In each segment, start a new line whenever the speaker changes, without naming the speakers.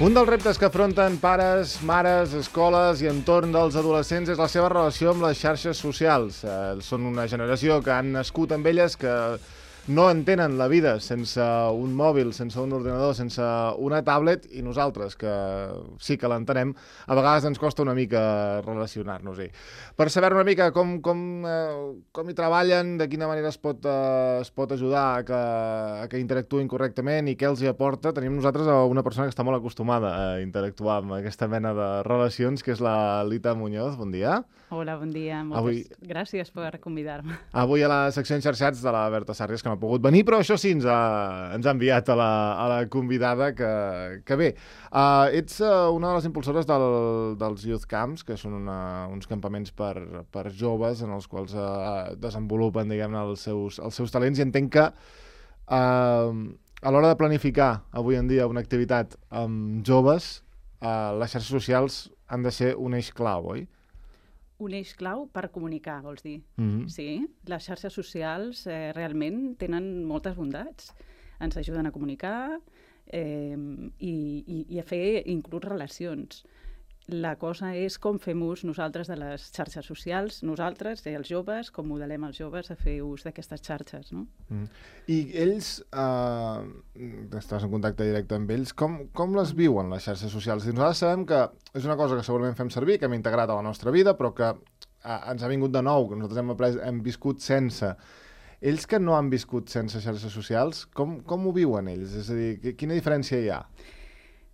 Un dels reptes que afronten pares, mares, escoles i entorn dels adolescents és la seva relació amb les xarxes socials. Són una generació que han nascut amb elles, que no entenen la vida sense un mòbil, sense un ordinador, sense una tablet, i nosaltres, que sí que l'entenem, a vegades ens costa una mica relacionar-nos-hi. Per saber una mica com hi treballen, de quina manera es pot ajudar a que interactuïn correctament i què els hi aporta, tenim nosaltres una persona que està molt acostumada a interactuar amb aquesta mena de relacions, que és la Lita Muñoz. Bon dia.
Hola, bon dia. Moltes gràcies per convidar-me.
Avui a la secció Enxarxats de la Berta Sàrries, que no ha pogut venir, però això sí, ens ha enviat a la convidada, que bé. Ets una de les impulsores dels Youth Camps, que són uns campaments per joves en els quals desenvolupen, diguem-ne, els seus talents, i entenc que a l'hora de planificar avui en dia una activitat amb joves, les xarxes socials han de ser un eix clau, oi?
Un eix clau per comunicar, vols dir? Sí, les xarxes socials realment tenen moltes bondats. Ens ajuden a comunicar i a fer inclús relacions. La cosa és com fem ús nosaltres de les xarxes socials, nosaltres, els joves, com modelem els joves a fer ús d'aquestes xarxes, no?
I ells, estàs en contacte directe amb ells, com les viuen, les xarxes socials? I nosaltres sabem que és una cosa que segurament fem servir, que hem integrat a la nostra vida, però que ens ha vingut de nou, que nosaltres hem viscut sense. Ells que no han viscut sense xarxes socials, com ho viuen ells? És a dir, quina diferència hi ha?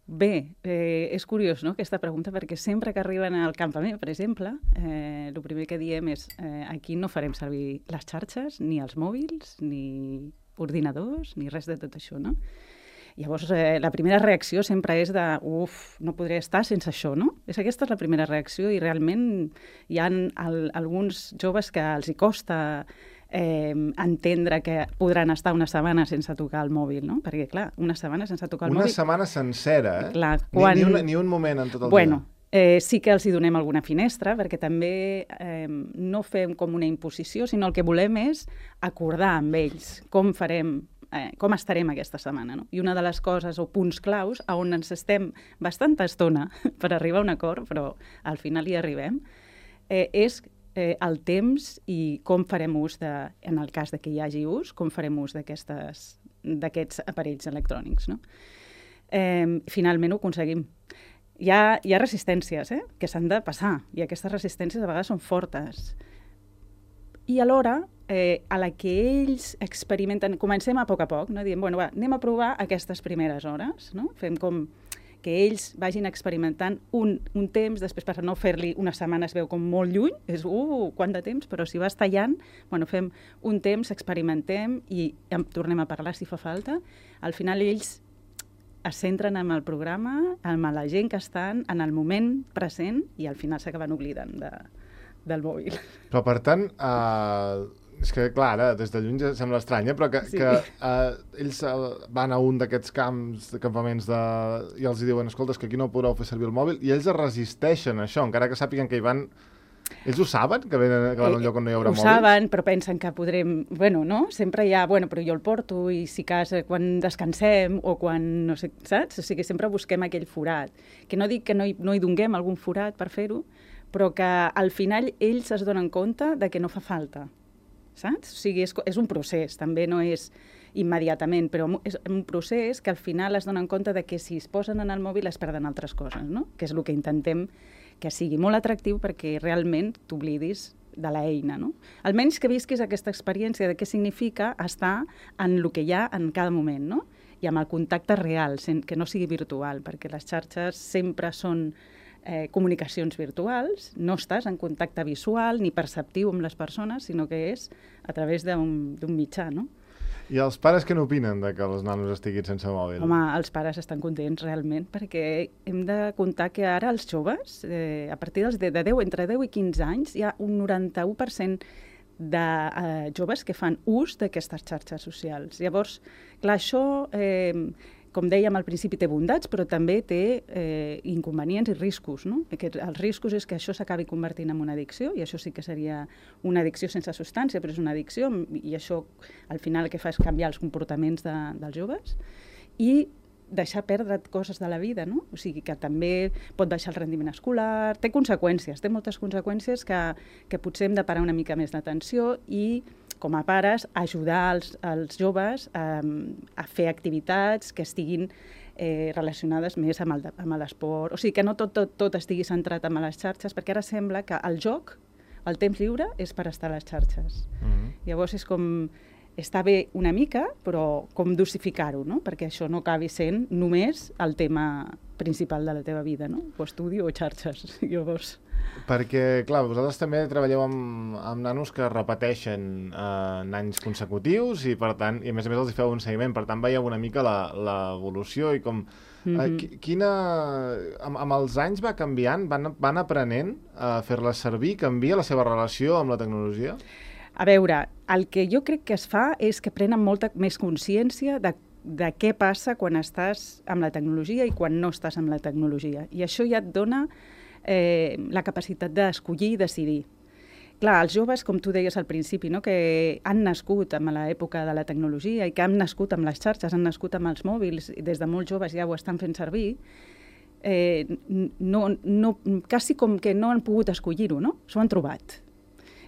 Bé, és curiós, no?, aquesta pregunta, perquè sempre que arriben al campament, per exemple, el primer que diem és aquí no farem servir les xarxes, ni els mòbils, ni ordinadors, ni res de tot això, no? Llavors, la primera reacció sempre és de no podré estar sense això, no? Aquesta és la primera reacció, i realment hi ha alguns joves que els hi costa entendre que podran estar una setmana sense tocar el mòbil, no? Perquè, clar, una setmana sense tocar el mòbil...
Una setmana sencera, eh?
Clar,
ni un moment en tot el dia.
Sí que els hi donem alguna finestra, perquè també no fem com una imposició, sinó el que volem és acordar amb ells com estarem aquesta setmana, no? I una de les coses o punts claus on ens estem bastanta estona per arribar a un acord, però al final hi arribem, és el temps i com farem ús, en el cas que hi hagi ús, com farem ús d'aquests aparells electrònics, no? Finalment ho aconseguim. Hi ha resistències que s'han de passar, i aquestes resistències a vegades són fortes. I alhora, a la que ells experimenten, comencem a poc, no? Diem, anem a provar aquestes primeres hores, no? Fem com que ells vagin experimentant un temps, després per no fer-li una setmana es veu com molt lluny, és quant de temps, però si vas tallant, fem un temps, experimentem i tornem a parlar si fa falta. Al final ells es centren en el programa, en la gent que estan, en el moment present, i al final s'acaben oblidant del mòbil.
Però per tant, és que clar, ara des de lluny ja sembla estrany, però que ells van a un d'aquests campaments i els diuen, escolta, és que aquí no podreu fer servir el mòbil, i ells es resisteixen a això, encara que sàpiguen que hi van... Ells ho saben, que van a un lloc on no hi haurà mòbils?
Ho saben, però pensen que podrem... no? Sempre hi ha, però jo el porto, i si cas quan descansem, o quan, no sé, saps? O sigui, sempre busquem aquell forat. Que no dic que no hi donem algun forat per fer-ho, però que al final ells es donen compte de que no fa falta. Saps? O sigui, és un procés, també no és immediatament, però és un procés que al final es donen compte de que si es posen en el mòbil es perden altres coses, no? Que és el que intentem que sigui molt atractiu perquè realment t'oblidis de l'eina, no? Almenys que visquis aquesta experiència de què significa estar en el que hi ha en cada moment, no? I amb el contacte real, que no sigui virtual, perquè les xarxes sempre són comunicacions virtuals, no estàs en contacte visual ni perceptiu amb les persones, sinó que és a través d'un mitjà, no?
I els pares què n'opinen de que els nanos estiguin sense mòbil?
Home, els pares estan contents realment, perquè hem de comptar que ara els joves, a partir entre 10 i 15 anys, hi ha un 91% de joves que fan ús d'aquestes xarxes socials. Llavors, clar, això... com dèiem al principi, té bondats, però també té inconvenients i riscos, no? Els riscos és que això s'acabi convertint en una addicció, i això sí que seria una addicció sense substància, però és una addicció, i això al final el que fa és canviar els comportaments dels joves. I deixar perdre coses de la vida, no? O sigui, que també pot deixar el rendiment escolar, té conseqüències, té moltes conseqüències que potser hem de parar una mica més d'atenció i, com a pares, ajudar els joves a fer activitats que estiguin relacionades més amb l'esport. O sigui, que no tot estigui centrat en les xarxes, perquè ara sembla que el joc, el temps lliure, és per estar a les xarxes. Llavors és com... Està bé una mica, però com dosificar-ho, no? Perquè això no acabi sent només el tema principal de la teva vida, no? O estudi o xarxes, llavors.
Perquè, clar, vosaltres també treballeu amb nanos que repeteixen en anys consecutius i, per tant, i a més els feu un seguiment, per tant, veieu una mica l'evolució i com... Amb els anys va canviant? Van aprenent a fer-la servir? Canvia la seva relació amb la tecnologia?
A veure, el que jo crec que es fa és que prenen molta més consciència de què passa quan estàs amb la tecnologia i quan no estàs amb la tecnologia. I això ja et dona la capacitat d'escollir i decidir. Clar, els joves, com tu deies al principi, no? Que han nascut amb l'època de la tecnologia i que han nascut amb les xarxes, han nascut amb els mòbils, i des de molt joves ja ho estan fent servir, quasi com que no han pogut escollir-ho, no? S'ho han trobat.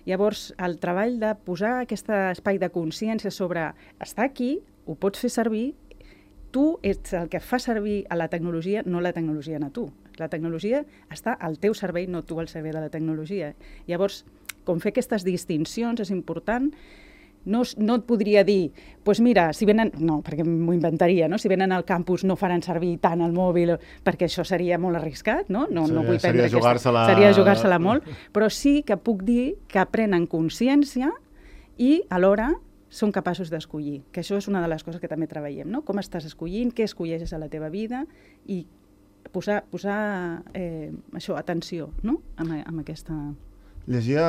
Llavors, el treball de posar aquest espai de consciència sobre està aquí, ho pots fer servir, tu ets el que fa servir a la tecnologia, no la tecnologia a tu. La tecnologia està al teu servei, no tu al servei de la tecnologia. Llavors, com fer aquestes distincions és important. No et podria dir, doncs mira, si venen... No, perquè m'ho inventaria, no? Si venen al campus no faran servir tant el mòbil, perquè això seria molt arriscat, no? No vull prendre seria jugar-se-la molt, però sí que puc dir que prenen consciència i alhora són capaços d'escollir, que això és una de les coses que també treballem, no? Com estàs escollint, què escolleixes a la teva vida i posar això, atenció, no? Amb aquesta...
Llegia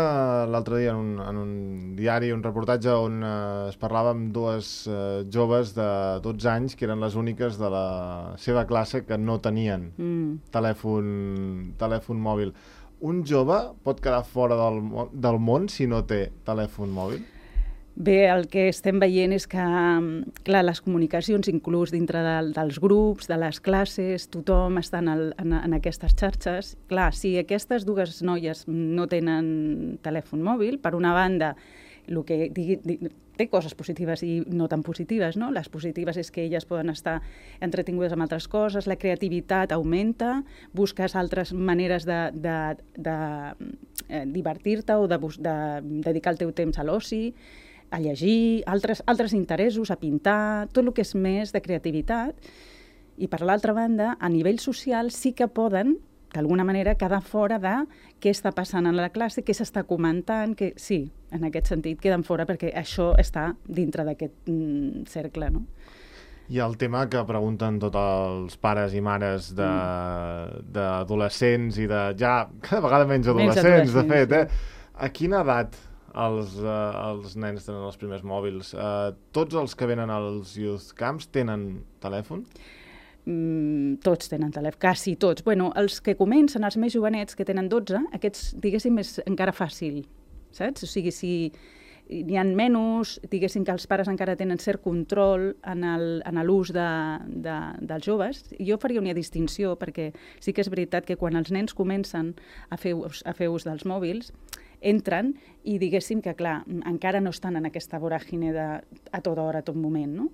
l'altre dia en un diari un reportatge on es parlava amb dues joves de 12 anys que eren les úniques de la seva classe que no tenien telèfon mòbil. Un jove pot quedar fora del món si no té telèfon mòbil?
Bé, el que estem veient és que, clar, les comunicacions, inclús dintre dels grups, de les classes, tothom està en aquestes xarxes. Clar, si aquestes dues noies no tenen telèfon mòbil, per una banda, el que té coses positives i no tan positives, no? Les positives és que elles poden estar entretingudes amb altres coses, la creativitat augmenta, busques altres maneres de divertir-te o de dedicar el teu temps a l'oci, a llegir, altres interessos, a pintar, tot el que és més de creativitat. I per l'altra banda, a nivell social sí que poden, d'alguna manera, quedar fora de què està passant en la classe, què s'està comentant, que sí, en aquest sentit queden fora perquè això està dintre d'aquest cercle, no?
I el tema que pregunten tots els pares i mares d'adolescents i de ja cada vegada menys adolescents, de fet, a quina edat els nens tenen els primers mòbils? Tots els que venen als youth camps tenen telèfon?
Tots tenen telèfon, quasi tots. Bueno, els que comencen, els més jovenets, que tenen 12, aquests, diguéssim, és encara fàcil, saps? O sigui, si n'hi ha menys, diguéssim que els pares encara tenen cert control en l'ús dels joves. Jo faria una distinció, perquè sí que és veritat que quan els nens comencen a fer ús dels mòbils, entren i diguéssim que, clar, encara no estan en aquesta voràgine a tota hora, a tot moment, no?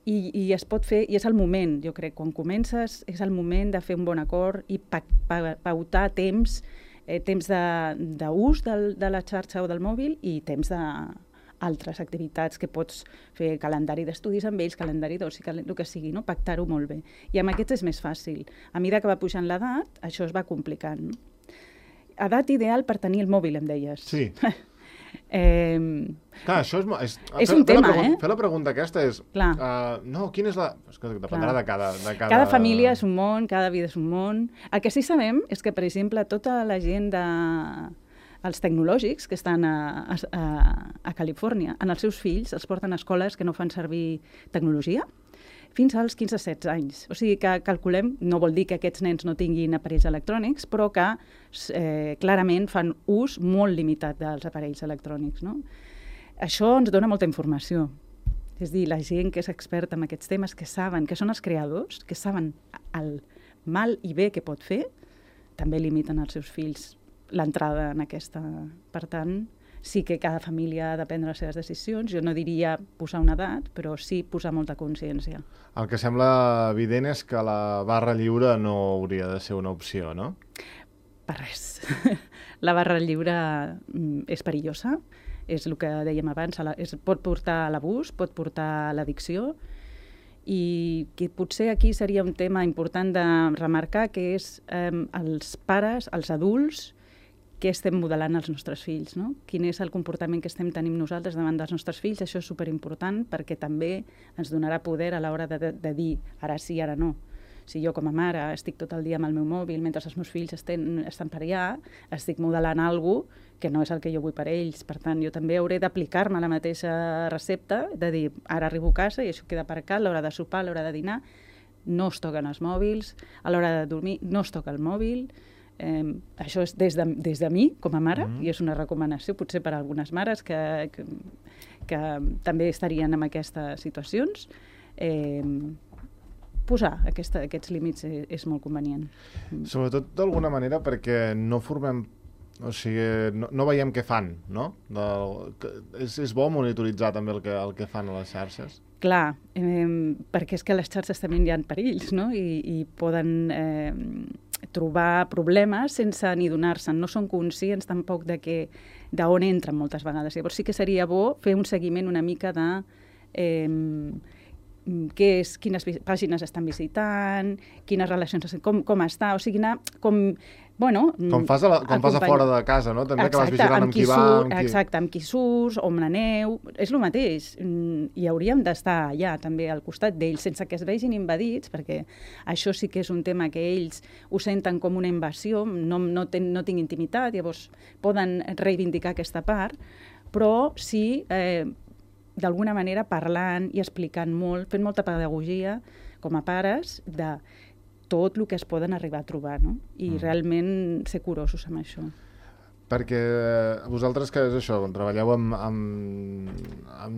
I es pot fer, i és el moment, jo crec, quan comences és el moment de fer un bon acord i pautar temps d'ús de la xarxa o del mòbil i temps d'altres activitats que pots fer, calendari d'estudis amb ells, calendari d'oci, el que sigui, no? Pactar-ho molt bé. I amb aquests és més fàcil. A mesura que va pujant l'edat, això es va complicant, no? Edat ideal per tenir el mòbil, em deies.
Sí. Clar, això
és un tema,
Fer la pregunta aquesta és... No, quina és la... Dependrà de cada...
Cada família és un món, cada vida és un món. El que sí sabem és que, per exemple, tota la gent els tecnològics que estan a Califòrnia, en els seus fills els porten a escoles que no fan servir tecnologia fins als 15-16 anys. O sigui que calculem, no vol dir que aquests nens no tinguin aparells electrònics, però que clarament fan ús molt limitat dels aparells electrònics, no? Això ens dona molta informació. És a dir, la gent que és experta en aquests temes, que saben, que són els creadors, que saben el mal i bé que pot fer, també limiten als seus fills l'entrada en aquesta. Per tant, sí que cada família ha de prendre les seves decisions. Jo no diria posar una edat, però sí posar molta consciència.
El que sembla evident és que la barra lliure no hauria de ser una opció, no?
Per res. La barra lliure és perillosa, és el que dèiem abans, pot portar a l'abús, pot portar a l'addicció, i que potser aquí seria un tema important de remarcar, que és els pares, els adults, què estem modelant als nostres fills, no? Quin és el comportament que estem tenint nosaltres davant dels nostres fills. Això és superimportant perquè també ens donarà poder a l'hora de dir ara sí, ara no. Si jo com a mare estic tot el dia amb el meu mòbil mentre els meus fills estan per allà, estic modelant alguna cosa que no és el que jo vull per ells. Per tant, jo també hauré d'aplicar-me la mateixa recepta, de dir, ara arribo a casa i això queda aparcat, a l'hora de sopar, a l'hora de dinar, no es toquen els mòbils, a l'hora de dormir no es toca el mòbil. Això és des de mi, com a mare, i és una recomanació potser per a algunes mares que també estarien en aquestes situacions. Posar aquests límits és molt convenient.
Sobretot d'alguna manera perquè no formem, o sigui, no veiem què fan, no? És bo monitoritzar també el que fan a les xarxes?
Clar, perquè és que les xarxes també hi ha perills, no? I poden trobar problemes sense ni donar-se'n. No són conscients tampoc d'on entren moltes vegades. Llavors sí que seria bo fer un seguiment una mica de quines pàgines estan visitant, quines relacions, com està, o sigui, anar com... Bueno,
com fas a fora de casa, no? També que vas vigilant amb qui va...
Exacte, amb qui surts, on aneu... És el mateix. I hauríem d'estar allà, també, al costat d'ells, sense que es vegin invadits, perquè això sí que és un tema que ells ho senten com una invasió, no tinc intimitat, llavors poden reivindicar aquesta part, però sí, d'alguna manera, parlant i explicant molt, fent molta pedagogia, com a pares, de tot el que es poden arribar a trobar, no? I realment ser curosos amb això.
Perquè vosaltres, que és això, treballeu amb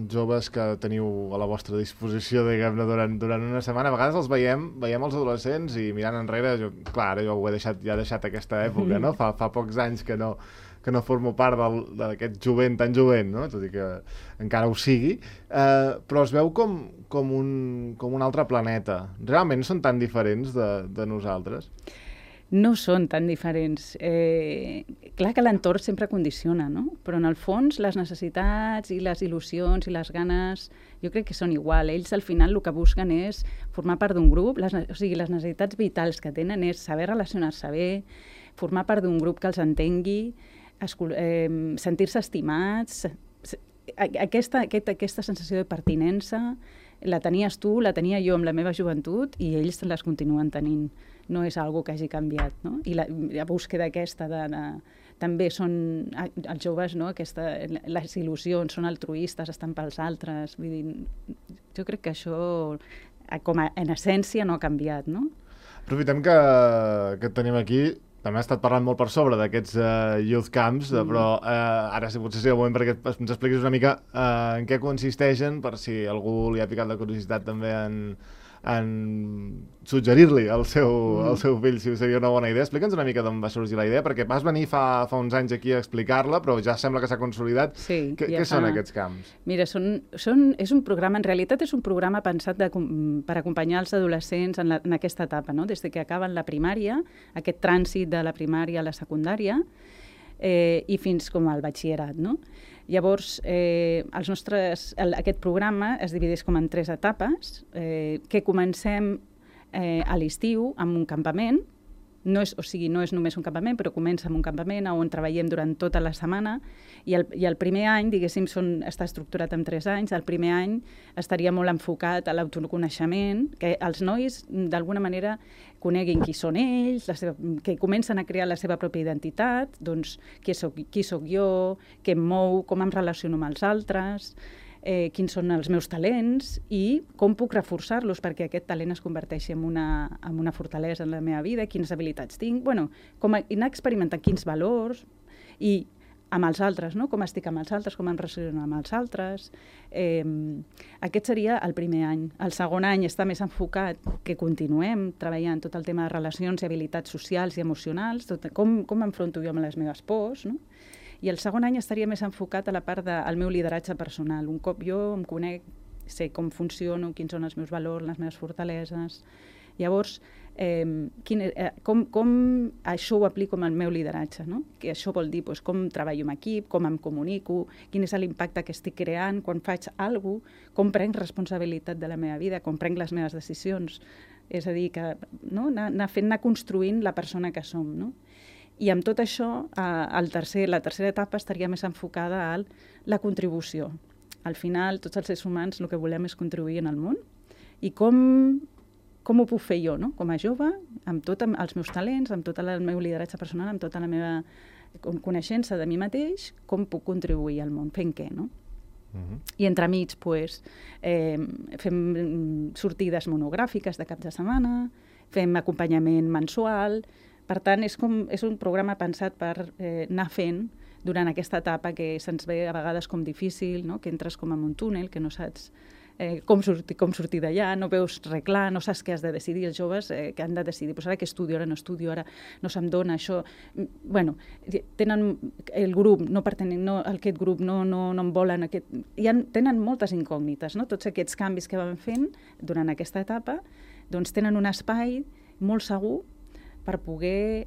joves que teniu a la vostra disposició, diguem-ne, durant una setmana, a vegades els veiem els adolescents i mirant enrere, clar, ara jo ho he deixat aquesta època, no? Fa pocs anys que no formo part d'aquest jovent tan jovent, no? Tot i que encara ho sigui, però es veu com un altre planeta. Realment són tan diferents de nosaltres?
No són tan diferents. Clar que l'entorn sempre condiciona, no? Però en el fons les necessitats i les il·lusions i les ganes jo crec que són igual. Ells al final el que busquen és formar part d'un grup, o sigui, les necessitats vitals que tenen és saber relacionar-se bé, formar part d'un grup que els entengui, sentir-se estimats. Aquesta sensació de pertinença la tenies tu, la tenia jo amb la meva joventut i ells les continuen tenint. No és algo que hagi canviat, no? I la búsqueda aquesta també són els joves, no? Les il·lusions, són altruistes, estan pels altres. Vull dir, jo crec que això, en essència, no ha canviat, no?
Aprofitem que et tenim aquí. També ha estat parlant molt per sobre d'aquests youth camps, però ara potser sigui el moment perquè ens expliquis una mica en què consisteixen, per si algú li ha picat la curiositat també en suggerir-li al seu fill si seria una bona idea. Explica'ns una mica d'on va sorgir la idea, perquè vas venir fa uns anys aquí a explicar-la, però ja sembla que s'ha consolidat.
Sí,
què són aquests camps?
Mira, és un programa, en realitat és un programa pensat per acompanyar els adolescents en aquesta etapa, no? Des que acaben la primària, aquest trànsit de la primària a la secundària, i fins com al batxillerat, no? Llavors, aquest programa es divideix com en 3 etapes, que comencem a l'estiu amb un campament. No és només un campament, però comença amb un campament on treballem durant tota la setmana i el primer any, diguéssim, està estructurat en 3 anys. El primer any estaria molt enfocat a l'autoconeixement, que els nois, d'alguna manera, coneguin qui són ells, que comencen a crear la seva pròpia identitat, doncs qui soc jo, què em mou, com em relaciono amb els altres, quins són els meus talents i com puc reforçar-los perquè aquest talent es converteixi en una fortalesa en la meva vida, quines habilitats tinc, bueno, com anar experimentant quins valors i amb els altres, no? Com estic amb els altres, com em relaciono amb els altres. Aquest seria el primer any. El segon any està més enfocat que continuem treballant tot el tema de relacions i habilitats socials i emocionals, com enfronto jo amb les meves pors, no? I el segon any estaria més enfocat a la part del meu lideratge personal. Un cop jo em conec, sé com funciono, quins són els meus valors, les meves fortaleses. Llavors, com això ho aplico amb el meu lideratge, no? Que això vol dir com treballo en equip, com em comunico, quin és l'impacte que estic creant quan faig alguna cosa, com prenc responsabilitat de la meva vida, com prenc les meves decisions. És a dir, que, no? anar construint la persona que som. No? I amb tot això, la tercera etapa estaria més enfocada a la contribució. Al final, tots els éssers humans el que volem és contribuir en el món. I com ho puc fer jo, no? Com a jove, amb tots els meus talents, amb tot el meu lideratge personal, amb tota la meva coneixença de mi mateix, com puc contribuir al món, fent què, no? I entremig, fem sortides monogràfiques de cap de setmana, fem acompanyament mensual. Per tant, és un programa pensat per anar fent durant aquesta etapa que se'ns ve a vegades com difícil, no? Que entres com en un túnel, que no saps com sortir d'allà, no veus res clar, no saps què has de decidir. Els joves que han de decidir, ara que estudio, ara no estudio, ara no se'm dona això. Bueno, tenen el grup, aquest grup no em volen, tenen moltes incògnites, no? Tots aquests canvis que van fent durant aquesta etapa, doncs tenen un espai molt segur per poder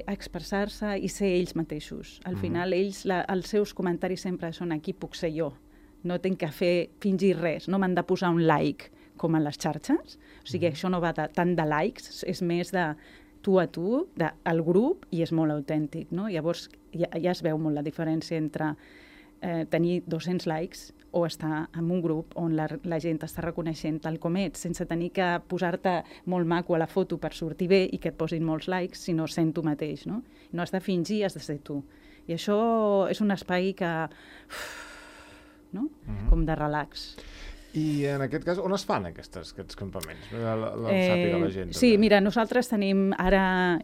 expressar-se i ser ells mateixos. Al final, els seus comentaris sempre són aquí puc ser jo. No tinc que fingir res, no m'han de posar un like com a les xarxes. O sigui, això no va tant de likes, és més de tu a tu, del grup, i és molt autèntic, no? Llavors, ja es veu molt la diferència entre tenir 200 likes o estar en un grup on la gent està reconeixent tal com ets, sense tenir que posar-te molt maco a la foto per sortir bé i que et posin molts likes, sinó sent tu mateix, no? No has de fingir, has de ser tu. I això és un espai que... no? Com de relax.
I en aquest cas, on es fan aquests campaments? Sàpiga la gent.
Sí, mira, nosaltres tenim ara,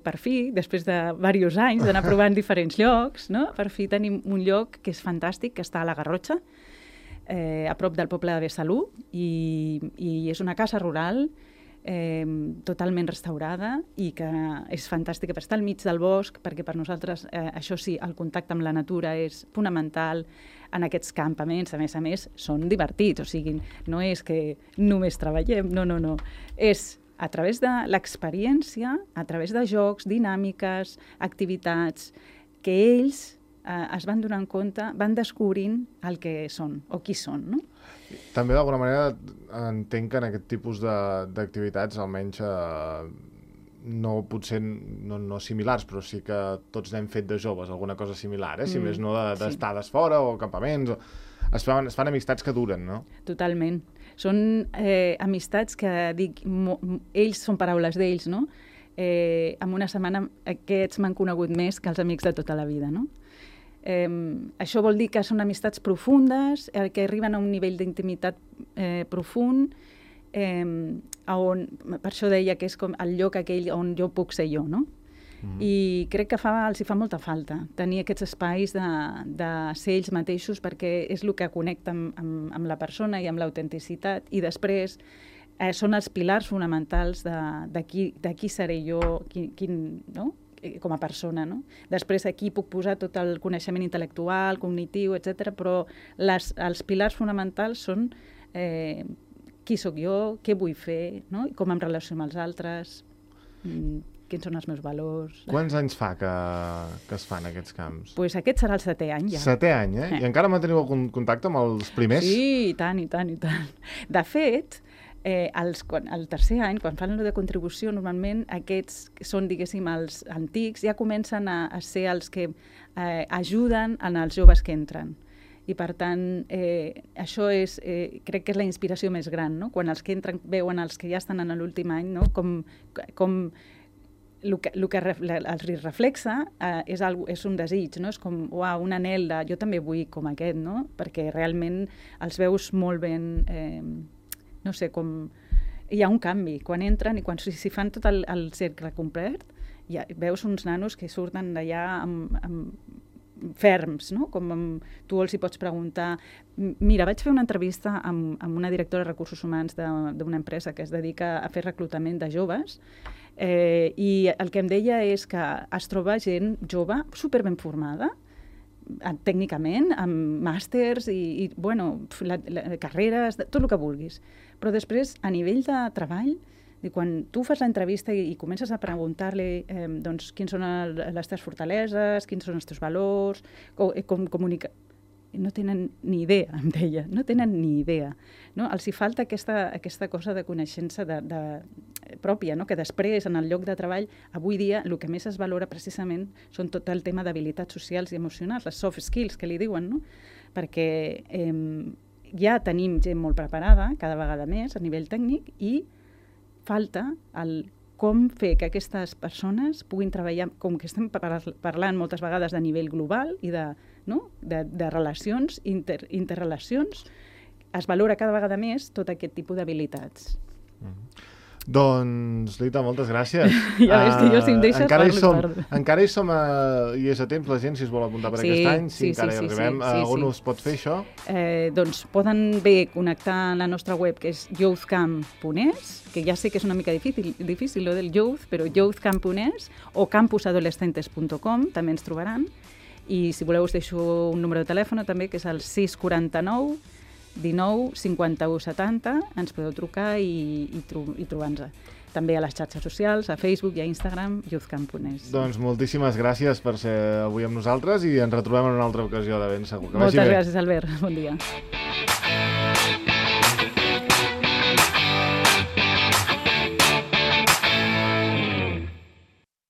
per fi, després de diversos anys d'anar provant diferents llocs, no? Per fi tenim un lloc que és fantàstic, que està a la Garrotxa, a prop del poble de Besalú, i és una casa rural totalment restaurada i que és fantàstica per estar al mig del bosc, perquè per nosaltres, això sí, el contacte amb la natura és fonamental. En aquests campaments, a més, són divertits, o sigui, no és que només treballem, no. És a través de l'experiència, a través de jocs, dinàmiques, activitats, que ells es van donant compte, van descobrint el que són, o qui són, no?
També, d'alguna manera, entenc que en aquest tipus d'activitats, almenys potser no similars, però sí que tots n'hem fet de joves, alguna cosa similar, si més no d'estades fora o campaments. Es fan amistats que duren, no?
Totalment. Són amistats que, ells són paraules d'ells, no? En una setmana aquests m'han conegut més que els amics de tota la vida, no? Això vol dir que són amistats profundes, que arriben a un nivell d'intimitat profund, on, per això deia que és com el lloc aquell on jo puc ser jo, no? I crec que els fa molta falta tenir aquests espais de ser ells mateixos, perquè és el que connecta amb la persona i amb l'autenticitat, i després són els pilars fonamentals de qui seré jo, no? Com a persona, no? Després aquí puc posar tot el coneixement intel·lectual, cognitiu, etc. Però els pilars fonamentals són qui sóc jo, què vull fer, no? Com em relaciono amb els altres, quins són els meus valors.
Quants anys fa que es fan aquests camps?
Doncs aquest serà el 7è any, ja.
7è any, I encara manteniu algun contacte amb els primers?
Sí, i tant. De fet, el tercer any, quan fan de contribució, normalment aquests són, diguéssim, els antics, ja comencen a ser els que ajuden en els joves que entren. I, per tant, això crec que és la inspiració més gran, no? Quan els que entren veuen els que ja estan en l'últim any, no? Com el que els reflexa és un desig, no? És com, uau, un anhel de jo també vull com aquest, no? Perquè realment els veus molt ben... no sé, com... Hi ha un canvi. Quan entren i quan si fan tot el cercle complet, ja veus uns nanos que surten d'allà ferms, no? Com tu els hi pots preguntar... Mira, vaig fer una entrevista amb una directora de recursos humans d'una empresa que es dedica a fer reclutament de joves i el que em deia és que es troba gent jove superben formada, tècnicament, amb màsters i carreres, tot el que vulguis. Però després, a nivell de treball, quan tu fas l'entrevista i comences a preguntar-li quins són les teves fortaleses, quins són els teus valors, com comunicar... No tenen ni idea, em deia, no tenen ni idea. No? Els hi falta aquesta cosa de coneixença pròpia, no? Que després, en el lloc de treball, avui dia, el que més es valora precisament són tot el tema d'habilitats socials i emocionals, les soft skills, que li diuen, no? Perquè ja tenim gent molt preparada, cada vegada més, a nivell tècnic, i falta com fer que aquestes persones puguin treballar, com que estem parlant moltes vegades de nivell global i de relacions, interrelacions, es valora cada vegada més tot aquest tipus d'habilitats.
Doncs, Rita, moltes gràcies.
Ja veus que jo, si em deixes, parlo.
Encara hi som i és a temps la gent, si es vol apuntar per aquest any, si encara hi arribem. On us pot fer això?
Doncs poden bé connectar a la nostra web, que és youthcamp.es, que ja sé que és una mica difícil lo del youth, però youthcamp.es, o campusadolescentes.com, també ens trobaran. I si voleu us deixo un número de telèfon també, que és el 649 19 51 70, ens podeu trucar i trobar-nos. També a les xarxes socials, a Facebook i a Instagram, youthcamp.es.
Doncs moltíssimes gràcies per ser avui amb nosaltres i ens retrobem en una altra ocasió de ben segur.
Moltes gràcies, Albert. Bon dia.